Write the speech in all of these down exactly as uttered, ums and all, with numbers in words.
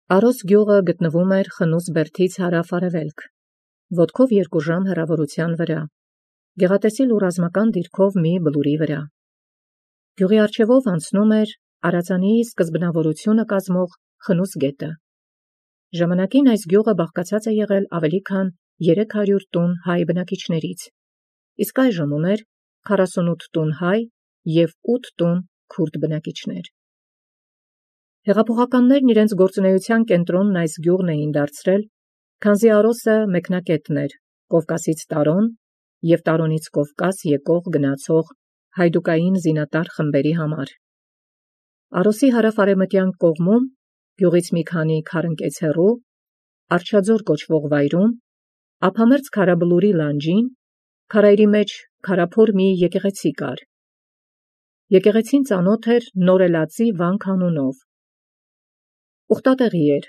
Արոս գյուղը գտնվում էր Խնուս բերդից հարավ-արևելք, ոտքով երկու ժամ հեռավորության վրա, գեղատեսիլ ու ռազմական դիրքով մի բլուրի վրա։ Գյուղի առջևով անցնում էր Արածանի սկզբնավորությունը կազմող Խնուս գետը։ Ժամանակին այս գյուղը բաղկացած է եղել ավելի քան երեք հարյուր տուն հայ բնակիչներից, իսկ այժմ ուներ քառասունութ տուն հայ և ութ տուն քուրդ բնակիչներ։ Հեղափոխականներն իրենց գործունեության կենտրոնն այս գյուղն էին դարձրել, քանզի Արոսը մեկնակետն էր Կովկասից Տարոն և Տարոնից Կովկաս եկող գնացող հայդուկային զինատար խմբերի համար։ Արոսի հարավ-արևմտյան կողմում, գյուղից մի քանի քառընկեց հեռու, Արջաձոր կոչվող վայրում, ափամերձ քարաբլուրի լանջին, քարայրի մեջ քարափոր մի եկեղեցի կար։ Եկեղեցին ծանոթ էր Նորելածի վանք անունով։ Ուխտատեղի էր։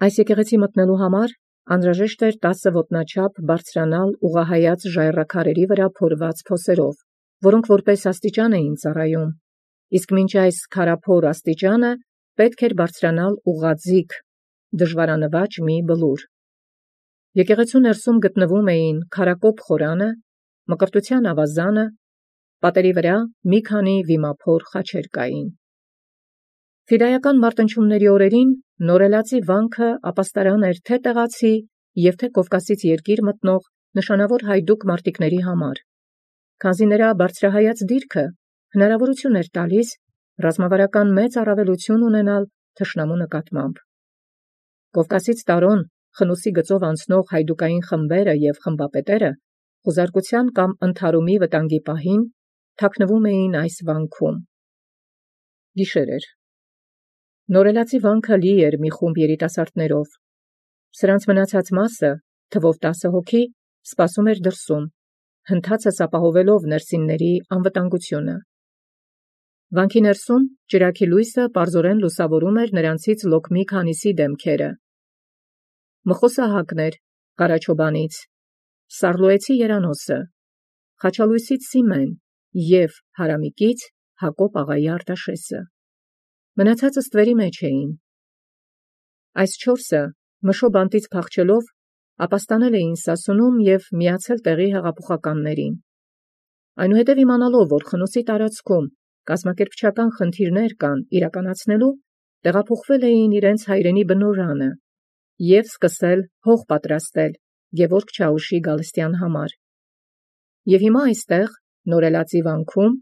Այս եկեղեցի մտնելու համար անհրաժեշտ էր տասը ոտնաչափ բարձրանալ ուղղահայաց ժայռաքարերի վրա փորված փոսերով, որոնք որպես աստիճան էին ծառայում, իսկ մինչ այս քարափոր աստիճանը պետք էր բարձրանալ ուղղաձիգ, դժվարանվաճ մի բլուր։ Եկեղեցու ներսում գտնվում էին քարակոպ խորանը, մկրտության ավազանը, պատերի վրա մի քանի վիմափոր խաչեր կային։ Ֆիդայական մարտնչումների օրերին Նորելածի վանքը ապաստարան էր թե տեղացի և թե Կովկասից երկիր մտնող նշանավոր հայդուկ մարտիկների համար, քանզի նրա բարձրահայաց դիրքը հնարավորություն էր տալիս ռազմավարական մեծ առավելություն ունենալ թշնամու նկատմամբ։ Կովկասից Տարոն Խնուսի գծով անցնող հայդուկային խմբերը և խմբապետերը խուզարկության կամ ընդհարումի վտանգի պահին թաքնվում էին այս վանքում։ Գիշեր էր։ Նորելածի վանքը լի էր մի խումբ երիտասարդներով։ Սրանց մնացած մասը, թվով տասը հոգի, սպասում էր դրսում, հնդածս ապահովելով ներսինների անվտանգությունը։ Վանքի ներսում ճրագի լույսը պարզորեն լուսավորում էր նրանցից լոկ մի քանիսի դեմքերը։ Մխոսահակն էր Ղարաչոբանից, Սառլոյեցի Երանոսը, Խաչալույսից Սիմեն և Հարամիկից Հակոբ աղայի Արտաշեսը։ Մնացածը ստվերի մեջ էին։ Այս չորսը մշո բանտից փախչելով ապաստանել էին Սասունում և միացել տեղի հեղափոխականներին։ Այնուհետև իմանալով, որ Խնուսի տարածքում կազմակերպչական խնդիրներ կան իրականացնելու, տեղափոխվել էին իրենց հայրենի բնօրրանը և սկսել հող պատրաստել Գևորգ Չաուշի գալստյան համար։ Եվ հիմա այստեղ, Նորելածի վանքում,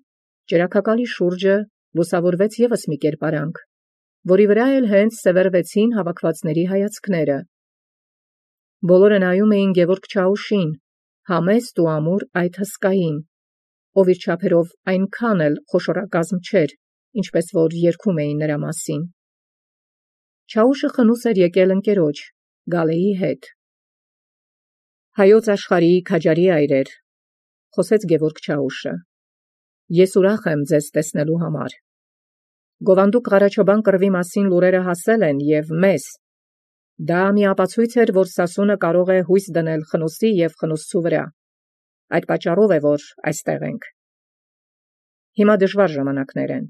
ճրագակալի շուրջը լուսավորվեց ևս մի կերպարանք, որի վրա էլ հենց սևեռվեցին հավաքվածների հայացքները։ Բոլորը նայում էին Գևորգ Չաուշին, համեստ ու ամուր այդ հսկային, ով իր չափերով այնքան էլ խոշորագազմ չէր, ինչպես որ երգում էին նրա մասին։ Չաուշը Խնուս էր եկել ընկերոջ, Գալեի հետ։ Հայոց աշխարհի քաջարի այրեր, խոսեց Գևորգ Չաուշը, ես ուրախ եմ ձեզ տեսնելու համար։ Գովանդուկ Ղարաչոբան կռվի մասին լուրերը հասել են և մեզ։ Դա մի ապացույց էր, որ Սասունը կարող է հույս դնել Խնուսի և խնուսցու վրա։ Այդ պատճառով է, որ այստեղ ենք։ Հիմա դժվար ժամանակներ են։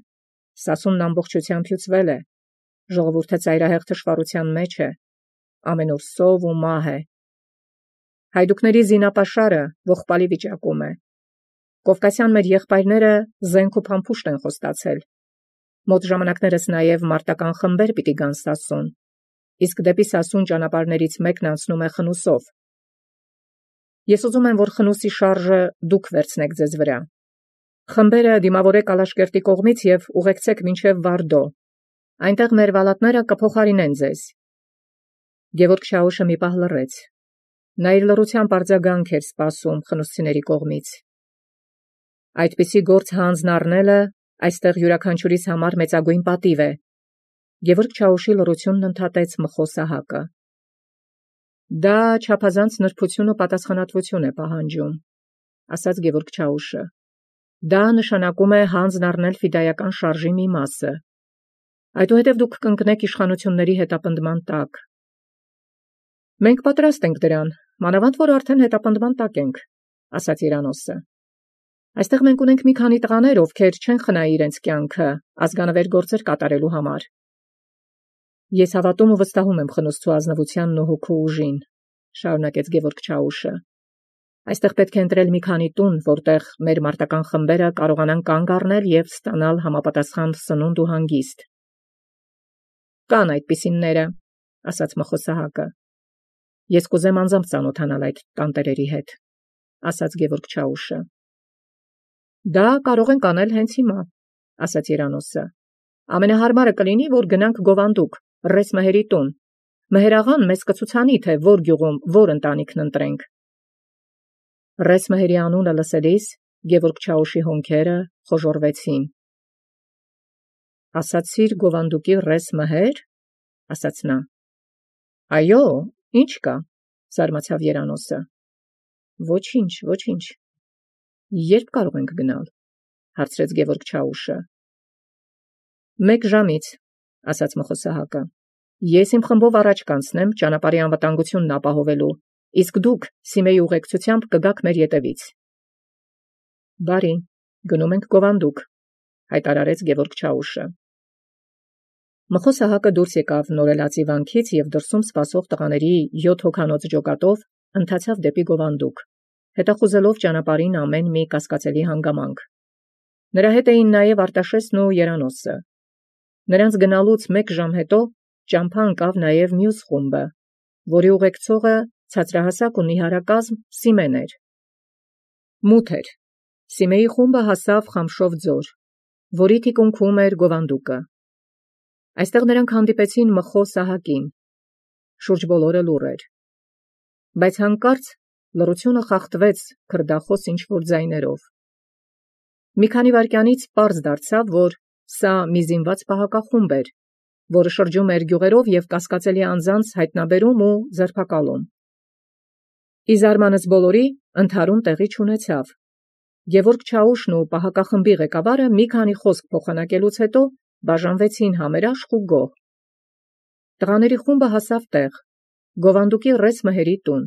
Սասունն ամբողջությամբ հյուծվել է, ժողովուրդը ծայրահեղ թշվառության մեջ է, ամենուր սով ու մահ է։ Հայդուկների զինապաշարը ողբալի վիճակում է։ Կովկասյան մեր եղբայրները զենք ու փամփուշտ են խոստացել։ Մոտ ժամանակներս նաև մարտական խմբեր պիտի գան Սասուն, իսկ դեպի Սասուն ճանապարհներից մեկն անցնում է Խնուսով։ Ես ուզում եմ, որ Խնուսի շարժը դուք վերցնեք ձեզ վրա։ Խմբերը դիմավորեք Ալաշկերտի կողմից և ուղեկցեք մինչև Վարդո։ Այնտեղ մեր վալատները կփոխարինեն ձեզ։ Գևորգ Չաուշը մի պահ լռեց։ Նա իր լռությամբ արձագանք էր սպասում խնուսցիների կողմից։ Այդպիսի գործ հանձն առնելը այստեղ յուրաքանչյուրիս համար մեծագույն պատիվ է։ Գևորգ Չաուշի լռությունն ընդհատեց Մխոսահակը։ Դա չափազանց նրբություն ու պատասխանատվություն է պահանջում, ասաց Գևորգ Չաուշը։ Դա նշանակում է հանձն առնել ֆիդայական շարժի մի մասը։ Այդուհետև դուք կընկնեք իշխանությունների հետապնդման տակ։ Մենք պատրաստ ենք դրան, մանավանդ որ արդեն հետապնդման տակ ենք, ասաց Երանոսը։ Այստեղ մենք ունենք մի քանի տղաներ, ովքեր չեն խնայի իրենց կյանքը ազգանվեր գործեր կատարելու համար։ Ես հավատում ու վստահում եմ խնոսցու ազնվությանն ու հոգու ուժին, շարունակեց Գևորգ Չաուշը։ Այստեղ պետք է ընտրել մի քանի տուն, որտեղ մեր մարտական խմբերը կարողանան կանգ առնել եւ ստանալ համապատասխան սնունդ ու հանգիստ։ Կան այդպիսինները, ասաց Մխոսահակը։ Ես կուզեմ անձամբ ծանոթանալ այդ տանտերերի հետ, ասաց Գևորգ Չաուշը։ Դա կարող ենք անել հենց հիմա, ասաց Երանոսը։ Ամենահարմարը կլինի, որ գնանք Գովանդուկ, Ռես Մհերի տուն։ Մհերաղան մեզ կցուցանի, թե որ գյուղում որ ընտանիքն ընտրենք։ Ռես Մհերի անունը լսելիս Գևորգ Չաուշի հոնքերը խոժոռվեցին։ Ասացիր Գովանդուկի Ռես Մհեր, ասաց նա։ Այո, ինչ կա, զարմացավ Երանոսը։ Ոչինչ, ոչինչ։ Երբ կարող ենք գնալ, հարցրեց Գևորգ Չաուշը։ Մեկ ժամից, ասաց Մխոսահակը։ Ես իմ խմբով առաջ կանցնեմ ճանապարհի անվտանգությունն ապահովելու, իսկ դուք Սիմեի ուղեկցությամբ կգաք մեր ետևից։ Բարի, գնում ենք Գովանդուկ, հայտարարեց Գևորգ Չաուշը։ Մխոսահակը դուրս եկավ նորելացի վանքից եւ դրսում սպասող տղաների յոթ հոգանոց ջոկատով ընթացավ դեպի Գովանդուկ, հետախուզելով ճանապարհին ամեն մի կասկածելի հանգամանք։ Նրա հետ էին նաեւ Արտաշեսն ու Երանոսը։ Նրանց գնալուց մեկ ժամ հետո ճամփա ընկավ նաև մյուս խումբը, որի ուղեկցողը ցածրահասակ ու նիհարակազմ Սիմեն էր։ Մութ էր։ Սիմեի խումբը հասավ Խամշով ձոր, որի թիկունքում էր Գովանդուկը։ Այստեղ նրանք հանդիպեցին Մխոսահակին։ Շուրջ բոլորը լուռ էր։ Բայց հանկարծ լռությունը խախտվեց քրդախոս ինչ-որ ձայներով։ Մի քանի վայրկյանից պարզ դարձավ, որ սա մի զինված պահակախումբ էր, որը շրջում էր գյուղերով եւ կասկածելի անձանց հայտնաբերում ու ձերբակալում։ Ի զարմանս բոլորի ընդհարում տեղի չունեցավ։ Գևորգ Չաուշն ու պահակախմբի ղեկավարը մի քանի խոսք փոխանակելուց հետո բաժանվեցին համերաշխ ու գոհ։ Տղաների խումբը հասավ տեղ, Գովանդուկի Ռես Մհերի տուն։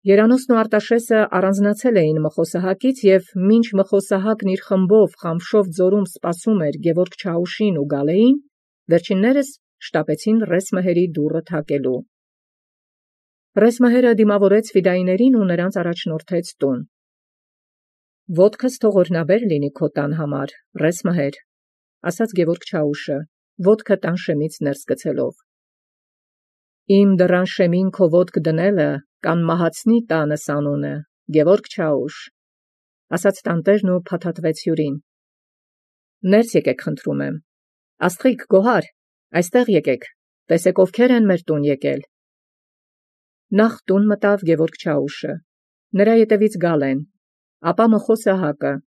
Երանոսն ու Արտաշեսը առանձնացել էին Մխոսահակից եւ մինչ Մխոսահակն իր խմբով Խամշով ձորում սպասում էր Գևորգ Չաուշին ու Գալեին, վերջիններս շտապեցին Ռես Մհերի դուռը թակելու։ Ռես Մհերը դիմավորեց ֆիդայիներին ու նրանց առաջնորդեց տուն։ Ոտքս թող օրհնաբեր լինի քո տան համար, Ռես Մհեր, ասաց Գևորգ Չաուշը, ոտքը տան շեմից ներս գցելով։ Իմ դռան շեմին քո ոտք դնելը կանմահացնի տանս անունը, Գևորգ Չաուշ, ասաց տանտերն ու փաթաթվեց հյուրին։ Ներս եկեք, խնդրում եմ։ Աստղիկ, գոհար, այստեղ եկեք, տեսեք ովքեր են մեր տուն եկել։ Նախ տուն մտավ Գևորգ Չաուշը, նրա ետևից Գալեն, ապա Մխոսահակը,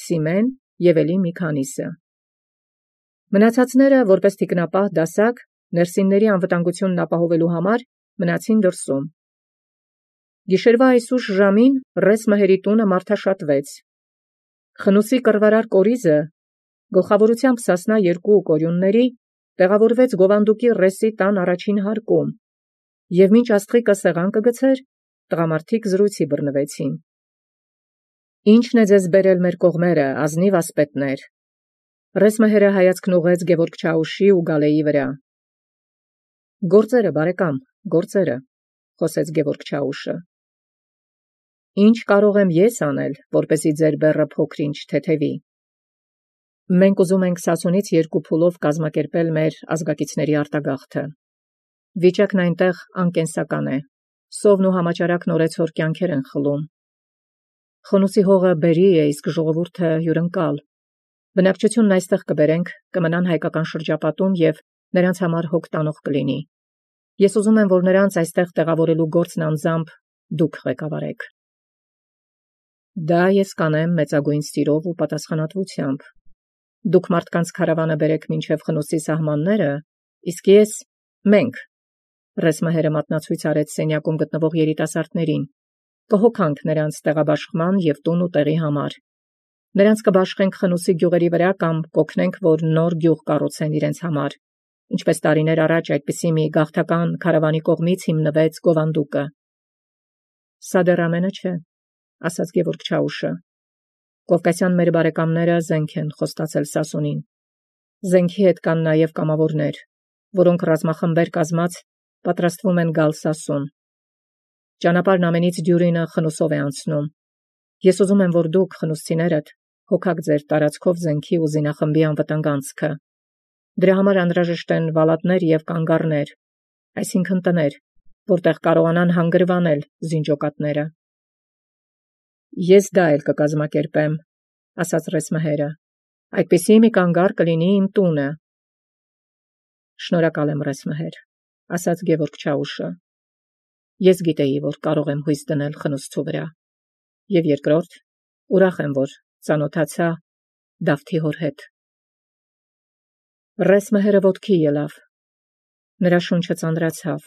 Սիմեն եւ ելի մի քանիսը։ Մնացածները, որպես թիկնապահ դասակ, ներսինների անվտանգությունն ապահովելու համար մնացին դրսում։ Գիշերվա այսուշ ժամին Ռես Մհերի տունը մարդաշատվեց։ Խնուսի կռվարար կորիզը, գլխավորությամբ Սասնա երկու կորյունների, տեղավորվեց Գովանդուկի Ռեսի տան առաջին հարկում, եւ մինչ աստղիկը սեղան կգցեր, տղամարդիկ զրույցի բռնվեցին։ Ի՞նչն է ձեզ բերել մեր կողմերը, ազնիվ ասպետներ։ Ռես Մհերը հայացքն ուղղեց Գևորգ Չաուշի ու Գալեի վրա։ Գործերը, բարեկամ, գործերը, խոսեց Գևորգ Չաուշը։ Ինչ կարող եմ ես անել, որպեսզի ձեր բեռը փոքր-ինչ թեթևի։ Մենք ուզում ենք Սասունից երկու փուլով կազմակերպել մեր ազգակիցների արտագաղթը։ Վիճակն այնտեղ անկենսական է։ Սովն ու համաճարակն օրեցօր կյանքեր են խլում։ Խնուսի հողը բերի է, իսկ ժողովուրդը հյուրընկալ։ Բնակչությունն այստեղ կբերենք, կմնան հայկական շրջապատում եւ նրանց համար հոգ տանող կլինի։ Ես ուզում եմ, որ նրանց այստեղ տեղավորելու գործն անձամբ դուք ղեկավարեք։ Դա ես կանեմ մեծագույն սիրով ու պատասխանատվությամբ։ Դուք մարդկանց քարավանը բերեք մինչև Խնուսի սահմանները, իսկ ես մենք Ռես Մհերը մատնացույց արեց սենյակում գտնվող երիտասարդներին, կհոգանք նրանց տեղաբաշխման եւ տուն ու տեղի համար։ Նրանց կբաշխենք Խնուսի գյուղերի վրա կամ կօգնենք, որ նոր գյուղ կառուցեն իրենց համար, ինչպես տարիներ առաջ այդպիսի մի գաղթական քարավանի կողմից հիմնվեց Գովանդուկը։ Սա դեռ ամենը չէ, ասաց Գևորգ Չաուշը։ Կովկասյան մեր բարեկամները զենք են խոստացել Սասունին։ Զենքի հետ կան նաև կամավորներ, որոնք ռազմախմբեր կազմած պատրաստվում են գալ Սասուն։ Ճանապարհն ամենից դյուրինը խնուսով է անցնում։ Ես ուզում եմ, որ դուք, խնուսցիներդ, հոգաք ձեր տարածքով զենքի ու զինախմբի անվտանգ անցքը։ Դրա համար անհրաժեշտ են վալատներ և կանգառներ, այսինքն տներ, որտեղ կարողանան հանգրվանել զինջոկատները։ Ես դա էլ կկազմակերպեմ, ասաց Ռեսմհերը, այդպիսի մի կանգառ կլինի իմ տունը։ Շնորհակալ եմ, Ռեսմհեր, ասաց Գևորգ Չաուշը։ Ես գիտեի, որ կարող եմ հույս դնել խնուսցու վրա։ Եվ երկրորդ, ուրախ եմ, որ ծանոթացա Դավթի հոր հետ։ Ռեսմհերը ոտքի ելավ։ Նրա շունչը ծանրացավ։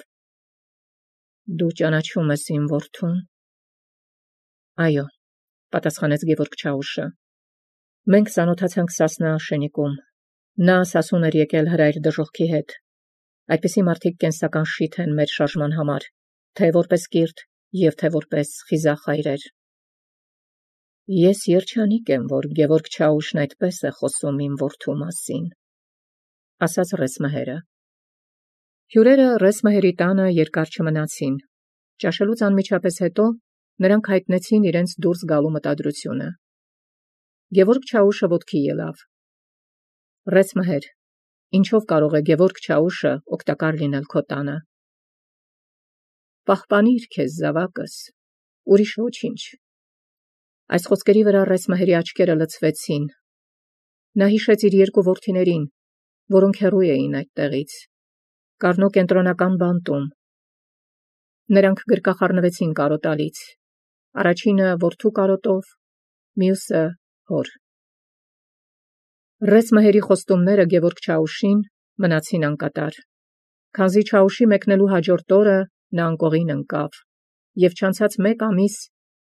Դու ճանաչում ես իմ որդուն։ Այո, պատասխանեց Գևորգ Չաուշը։ Մենք ծանոթացանք Սասնա շենիկում։ Նա Սասուն էր եկել հրայր դժոխքի հետ։ Այդպիսի մարդիկ կենսական շիթ են մեր շարժման համար, թե որպես կիրթ և թե որպես խիզախ հայրեր։ Ես երջանիկ եմ, որ Գևորգ Չաուշն այդպես է խոսում իմ որդու մասին, ասաց Ռեսմհերը։ Հյուրերը Ռեսմհերի տանը երկար չմնացին։ Ճաշելուց անմիջապես հետո նրանք հայտնեցին իրենց դուրս գալու մտադրությունը։ Գևորգ Չաուշը ոտքի ելավ։ Ռեսմհեր, ինչով կարող է Գևորգ Չաուշը օգտակար լինել քո տանը։ Պահպանիր քեզ զավակս, ուրիշ ոչինչ։ Այս խոսքերի վրա Ռեսմհերի աչքերը լցվեցին։ Նա հիշեց իր երկու որդիներին, որոնք հեռու էին այդտեղից, Կառնո կենտրոնական բանտում։ Նրանք գրկախառնվեցին կարոտալից, առաջինը որդու կարոտով, մյուսը հոր։ Ռեսմհերի խոստումները Գևորգ Չաուշին մնացին անկատար։ Քանզի Չաուշի մեկնելու հաջորդ օրը նա անկողին ընկավ և չանցած մեկ ամիս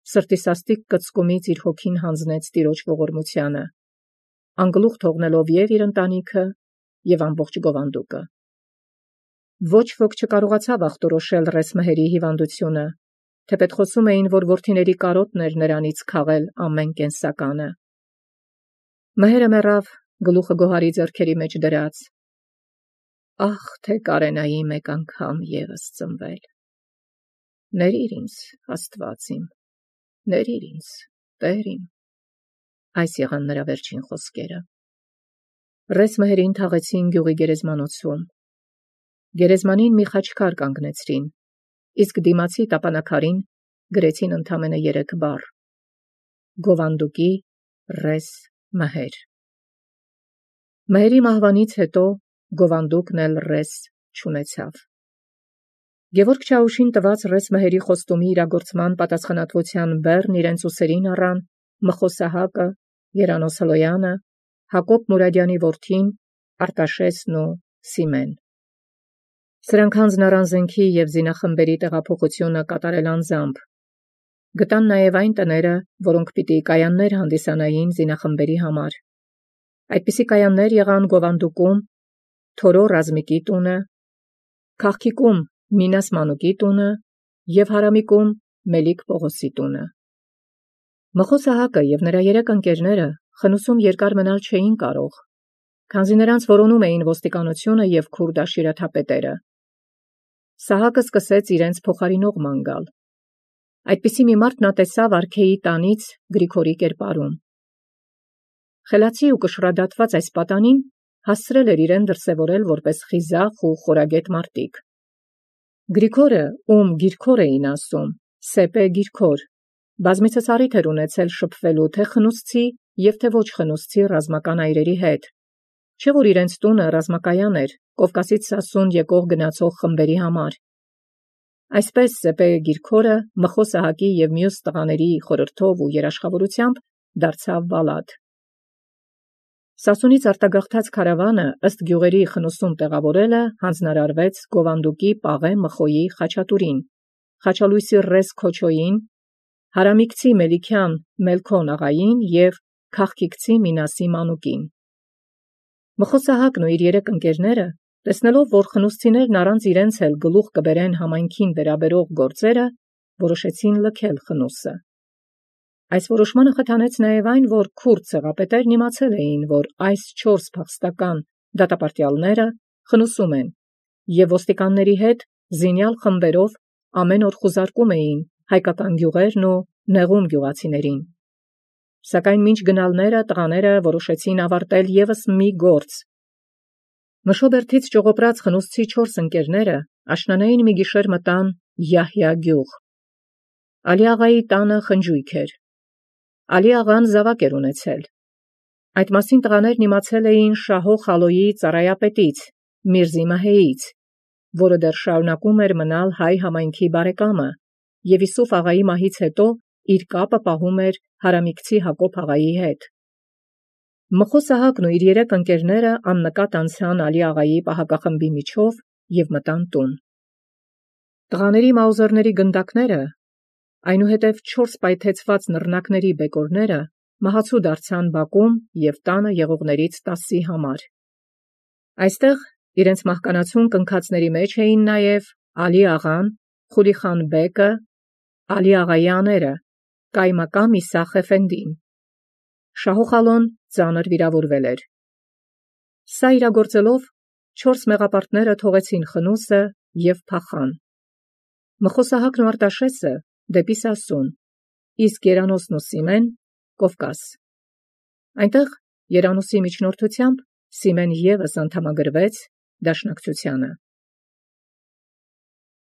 սրտի սաստիկ կծկումից իր հոգին հանձնեց Տիրոջ ողորմությանը, անգլուխ թողնելով և իր ընտանիքը, և ամբողջ գովանդուկը։ Ոչ ոք չկարողացավ ախտորոշել Ռեսմհերի հիվանդությունը, թեպետ խոսում էին, որ որդիների կարոտն էր նրանից քաղել ամեն կենսականը։ Մհերը մեռավ, գլուխը գոհարի ձեռքերի մեջ դրած։ Ախ, թե կարենայի մեկ անգամ ևս ծնվել։ Ներիր ինձ, Աստված իմ, ներիր ինձ, Տեր իմ։ Այս եղան նրա վերջին խոսքերը։ Ռեսմհերին թաղեցին գյուղի գերեզմանոցում։ Գերեզմանին մի խաչքար կանգնեցրին, իսկ դիմացի տապանակարին գրեցին ընդամենը երեք բառ. Գովանդուկի Ռեսմհեր։ Մհերի մահվանից հետո գովանդուկն էլ ռես չունեցավ։ Գևորգ Չաուշին տված Ռեսմհերի խոստումի իրագործման պատասխանատվության բեռն իրենց ուսերին առան Մխո Սահակը, Երանոս Հլոյանը, Հակոբ Մուրադյանի որդին, Արտաշեսն ու Սիմեն։ Սրանք հանձն առան զենքի և զինախմբերի տեղափոխությունը կատարել անձամբ։ Գտան նաև այն տները, որոնք պիտի կայաններ հանդիսանային զինախմբերի համար։ Այդպիսի կայաններ եղան Գովանդուկում Թորո Ռազմիկի տունը, Քաղքիկում Մինաս Մանուկի տունը և Հարամիկում Մելիք Պողոսի տունը։ Մխո Սահակը և նրա երեք ընկերները խնուսում երկար մնալ չէին կարող, քանզի նրանց որոնում էին ոստիկանությունը և քուրդ աշիրեթապետերը։ Սահակը սկսեց իրենց փոխարինող ման գալ։ Այդպիսի մի մարդ նա տեսավ արքեի տանից Գրիգորի կերպարում։ Խելացի ու կշռադատված այս պատանին հասցրել էր իրեն դրսևորել որպես խիզախ ու խորագետ մարտիկ։ Գրիգորը, ում Գիրքոր էին ասում, Սեպե Գիրքոր, բազմիցս առիթ էր ունեցել շփվելու թե խնուսցի և թե ոչ խնուսցի ռազմական այրերի հետ, չէ որ իրենց տունը ռազմակայան էր Կովկասից Սասուն եկող գնացող խմբերի համար։ Այսպես Սեպե Գիրքորը Մխո Սահակի և մյուս տղաների խորհրդով ու երաշխավորությամբ դարձավ վալատ։ Սասունից արտագաղթած քարավանը ըստ գյուղերի խնուսում տեղավորելը հանձնարարվեց Գովանդուկի Պաղե Մխոյի Խաչատուրին, Խաչալույսի Ռես Քոչոյին, Հարամիկցի Մելիքյան Մելքոն աղային և Քաղքիկցի Մինասի Մանուկին։ Մխո Սահակն ու իր երեք ընկերները, տեսնելով, որ խնուսցիներն առանց իրենց էլ գլուխ կբերեն համայնքին վերաբերող գործերը, որոշեցին լքել խնուսը։ Այս որոշմանը խթանեց նաև այն, որ քուրդ ցեղապետերն իմացել էին, որ այս չորս փախստական դատապարտյալները խնուսում են և ոստիկանների հետ զինյալ խմբերով ամեն օր խուզարկում էին հայկական գյուղերն ու նեղում գյուղացիներին։ Սակայն մինչ գնալները տղաները որոշեցին ավարտել ևս մի գործ։ Մշոբերդից ճողոպրած խնուսցի չորս ընկերները աշնանային մի գիշեր մտան Յահյա գյուղ։ Ալի աղայի տանը խնջույք էր։ Ալի աղան զավակ էր ունեցել։ Այդ մասին տղաներն իմացել էին Շահո Խալոյի ծառայապետից Միրզի Մահեից, որը դեռ շարունակում էր մնալ հայ համայնքի բարեկամը և Յուսուֆ աղայի մահից հետո իր կապը պահում էր հարամիկցի Հակոբ աղայի հետ։ Մխո Սահակն ու իր երեք ընկերները աննկատ անցան Ալի աղայի պահակախմբի միջով և մտան տուն։ Տղաների մաուզերների գնդակները, այնուհետև չորս պայթեցված նռնակների բեկորները մահացու դարձան բակում և տանը եղողներից տասի համար։ Այստեղ իրենց մահկանացուն կնքածների մեջ էին նաև Ալի աղան, Խուլիխան բեկը, Ալի աղայի աները, Կայմակամ Իսախ էֆենդին։ Շահո Խալոն ծանր վիրավորվել էր։ Սա իրագործելով չորս մեղապարտները թողեցին խնուսը և փախան։ Մխո Սահակն ու Արտաշեսը դեպի Սասուն, իսկ Երանոսն ու Սիմեն Կովկաս։ Այնտեղ Երանոսի միջնորդությամբ Սիմեն ևս անդամագրվեց դաշնակցությանը։